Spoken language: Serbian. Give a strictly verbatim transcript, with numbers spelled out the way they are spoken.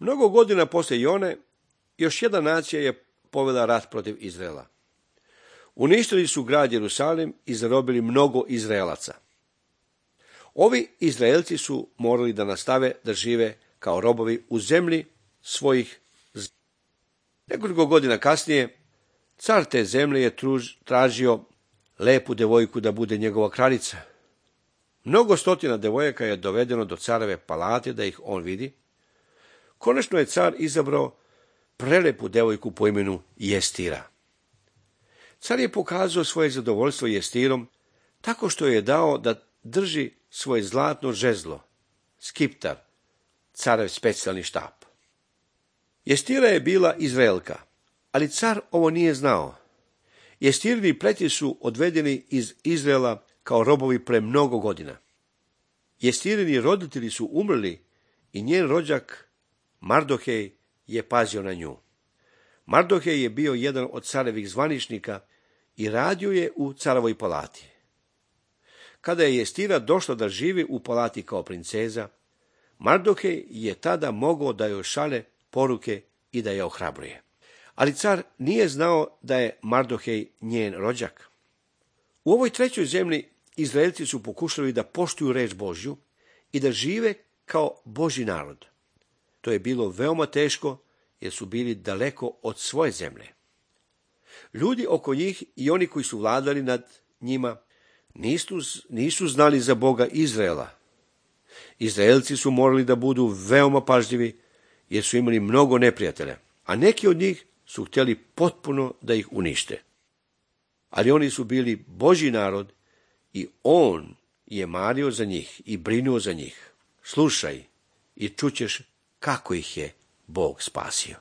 Mnogo godina poslije Jone, još jedna nacija je povela rat protiv Izraela. Uništili su grad Jerusalim i zarobili mnogo Izraelaca. Ovi Izraelci su morali da nastave da žive kao robovi u zemlji svojih. Nekoliko godina kasnije, car te zemlje je truž, tražio lepu devojku da bude njegova kraljica. Mnogo stotina devojaka je dovedeno do careve palate da ih on vidi. Konačno je car izabrao prelepu devojku po imenu Jestira. Car je pokazao svoje zadovoljstvo Jestirom tako što je dao da drži svoje zlatno žezlo, skiptar, carev specijalni štap. Jestira je bila Izraelka, ali car ovo nije znao. Jestirini pleti su odvedeni iz Izraela kao robovi pre mnogo godina. Jestirini roditelji su umrli i njen rođak Mardohej je pazio na nju. Mardohej je bio jedan od carevih zvaničnika i radio je u carovoj palati. Kada je Jestira došla da živi u palati kao princeza, Mardohej je tada mogao da joj šalje poruke i da je ohrabruje. Ali car nije znao da je Mardohej njen rođak. U ovoj trećoj zemlji Izraelci su pokušali da poštuju reč Božju i da žive kao Božji narod. To je bilo veoma teško jer su bili daleko od svoje zemlje. Ljudi oko njih i oni koji su vladali nad njima nisu, nisu znali za Boga Izraela. Izraelci su morali da budu veoma pažljivi jer su imali mnogo neprijatelja, a neki od njih su htjeli potpuno da ih unište. Ali oni su bili Božji narod i on je mario za njih i brinuo za njih. Slušaj i čućeš kako ih je Bog spasio.